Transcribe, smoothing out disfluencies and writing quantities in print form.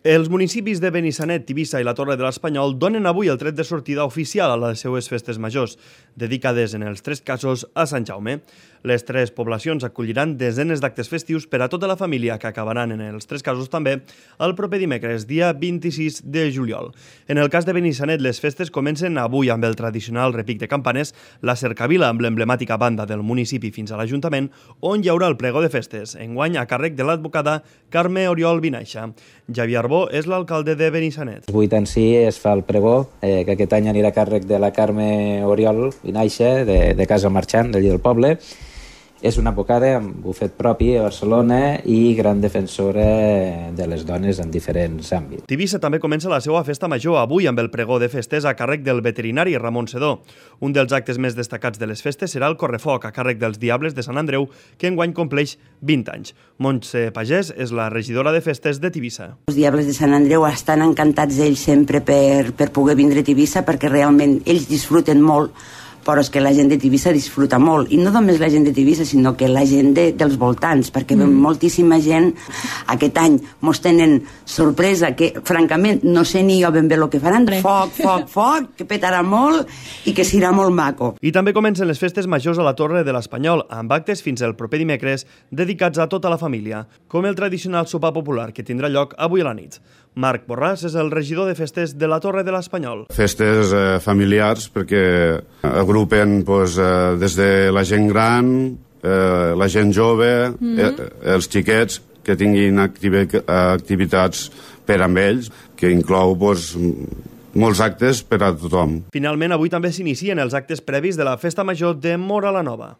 Els municipis de Benissanet, Tivissa i la Torre de l'Espanyol donen avui el tret de sortida oficial a les seues festes majors, dedicades en els tres casos a Sant Jaume. Les tres poblacions acolliran desenes d'actes festius per a tota la família que acabaran en els tres casos també el proper dimecres, dia 26 de juliol. En el cas de Benissanet, les festes comencen avui amb el tradicional repic de campanes, la cercavila amb l'emblemàtica banda del municipi fins a l'Ajuntament, on hi haurà el pregó de festes, enguany a càrrec de l'advocada Carme Oriol Vinaixa. Javier Arbó és l'alcalde de Benissanet. El 8 en si es fa el pregó, que aquest any anirà a càrrec de la Carme Oriol Vinaixa, de Casa Marxant, d'allí del poble. És una advocada amb bufet propi a Barcelona i gran defensora de les dones en diferents àmbits. Tivissa també comença la seva festa major avui amb el pregó de festes a càrrec del veterinari Ramon Sedó. Un dels actes més destacats de les festes serà el correfoc a càrrec dels Diables de Sant Andreu, que enguany compleix 20 anys. Montse Pagès és la regidora de festes de Tivissa. Els Diables de Sant Andreu estan encantats ells sempre per poder vindre a Tivissa, perquè realment ells disfruten molt, però és que la gent de Tivissa disfruta molt, i no només la gent de Tivissa, sinó que la gent dels voltants, perquè moltíssima gent aquest any mos tenen sorpresa, que francament no sé ni jo ben bé el que faran. Foc, que petarà molt i que serà molt maco. I també comencen les festes majors a la Torre de l'Espanyol, amb actes fins el proper dimecres dedicats a tota la família, com el tradicional sopar popular que tindrà lloc avui a la nit. Marc Borràs és el regidor de festes de la Torre de l'Espanyol. Festes familiars perquè agrupen des de la gent gran, la gent jove, els xiquets que tinguin activitats per amb ells, que inclou molts actes per a tothom. Finalment, avui també s'inicien els actes previs de la Festa Major de Móra la Nova.